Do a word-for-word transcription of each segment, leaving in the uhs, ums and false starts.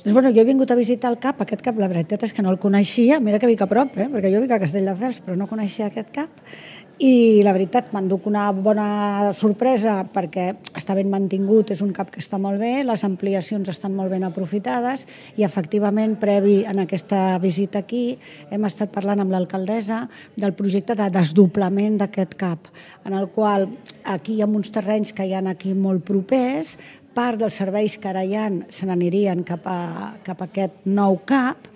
Doncs, bueno, jo he vingut a visitar el CAP, aquest CAP la veritat és que no el coneixia, mira que vic a prop, eh? perquè jo vic a Castelldefels, però no coneixia aquest CAP, i la veritat m'enduc una bona sorpresa perquè està ben mantingut, és un CAP que està molt bé, les ampliacions estan molt ben aprofitades i efectivament previ en aquesta visita aquí hem estat parlant amb l'alcaldessa del projecte de desdoblament d'aquest CAP, en el qual aquí hi ha uns terrenys que hi ha aquí molt propers, part dels serveis que ara hi ha se n'anirien cap a, cap a aquest nou CAP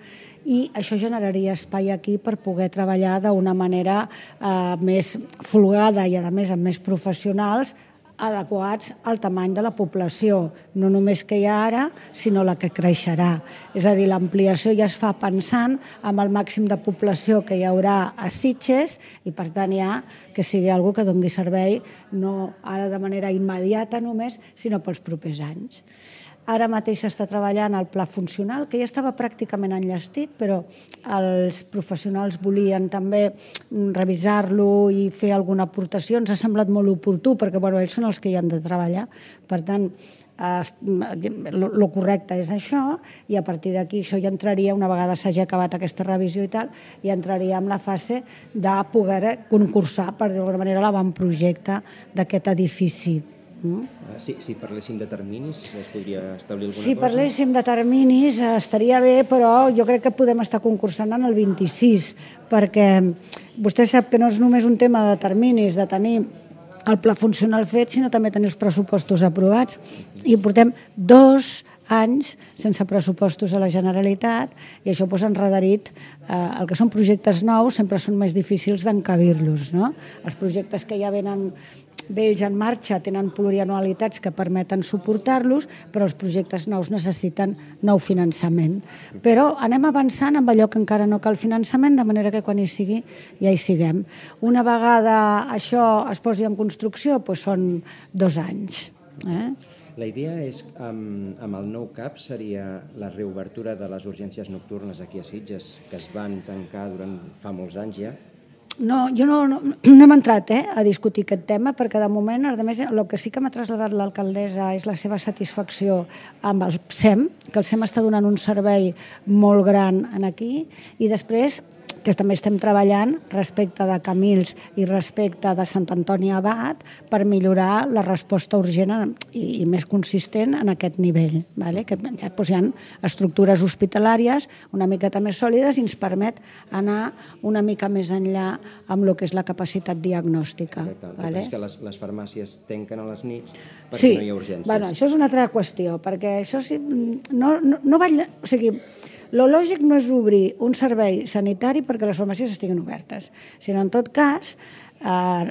i això generaria espai aquí per poder treballar d'una manera eh, més folgada i, a més, amb més professionals adequats al tamany de la població, no només que hi ha ara, sinó la que creixerà. És a dir, l'ampliació ja es fa pensant amb el màxim de població que hi haurà a Sitges i, per tant, ja que sigui algo que doni servei no ara de manera immediata només, sinó pels propers anys. Ara mateix s'està treballant el pla funcional, que ja estava pràcticament enllestit, però els professionals volien també revisar-lo i fer alguna aportació. Ens ha semblat molt oportú, perquè bueno, ells són els que hi han de treballar. Per tant, el correcte és això, i a partir d'aquí això ja entraria, una vegada s'hagi acabat aquesta revisió i tal, ja entraria en la fase de poder concursar, per dir-ho d'alguna manera, l'avantprojecte d'aquest edifici. Si, si parléssim de terminis, es podria establir alguna si cosa? Si parléssim de terminis estaria bé, però jo crec que podem estar concursant en el vint-i-sis, perquè vostè sap que no és només un tema de terminis, de tenir el pla funcional fet, sinó també tenir els pressupostos aprovats. I portem dos anys sense pressupostos a la Generalitat i això ha enredarit el que són projectes nous, sempre són més difícils d'encabir-los. Els projectes que ja venen vells en marxa tenen plurianualitats que permeten suportar-los, però els projectes nous necessiten nou finançament. Però anem avançant amb allò que encara no cal finançament, de manera que quan hi sigui ja hi siguem. Una vegada això es posi en construcció, doncs són dos anys. La idea és, amb el nou CAP, seria la reobertura de les urgències nocturnes aquí a Sitges, que es van tancar durant fa molts anys ja. No, jo no, no, no hem entrat eh, a discutir aquest tema, perquè de moment, a més, el que sí que m'ha traslladat l'alcaldessa és la seva satisfacció amb el S E M, que el S E M està donant un servei molt gran aquí, i després que també estem treballant respecte de Camils i respecte de Sant Antoni Abat per millorar la resposta urgent i més consistent en aquest nivell. Que hi ha estructures hospitalàries una miqueta més sòlides i ens permet anar una mica més enllà amb el que és la capacitat diagnòstica. És que les farmàcies tanquen a les nits perquè no hi ha urgències. Sí, això és una altra qüestió, perquè això sí, no va... O sigui, lo lògic no és obrir un servei sanitari perquè les farmàcies estiguin obertes, sinó en tot cas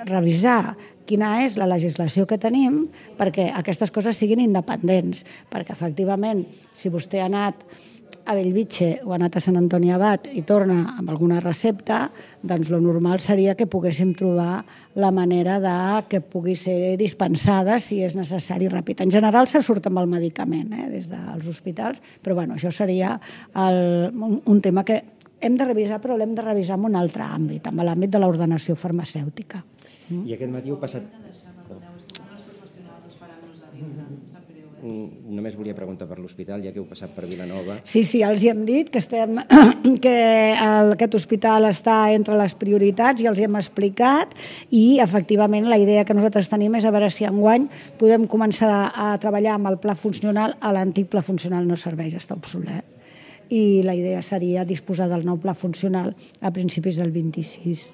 revisar quina és la legislació que tenim perquè aquestes coses siguin independents, perquè efectivament si vostè ha anat a Bellvitge o ha anat a Sant Antoni Abat i torna amb alguna recepta, doncs el normal seria que poguéssim trobar la manera de que pugui ser dispensada si és necessari ràpid. En general se surt amb el medicament eh, des dels hospitals, però bueno, això seria el, un, un tema que hem de revisar, però l'hem de revisar en un altre àmbit, en l'àmbit de l'ordenació farmacèutica. I aquest matí heu passat... Només volia preguntar per l'hospital, ja que heu passat per Vilanova. Sí, sí, els hi hem dit que, estem, que aquest hospital està entre les prioritats i els hi hem explicat i, efectivament, la idea que nosaltres tenim és a veure si enguany podem començar a treballar amb el pla funcional. L'antic pla funcional no serveix, està obsolet. I la idea seria disposar del nou pla funcional a principis del vint-i-sis.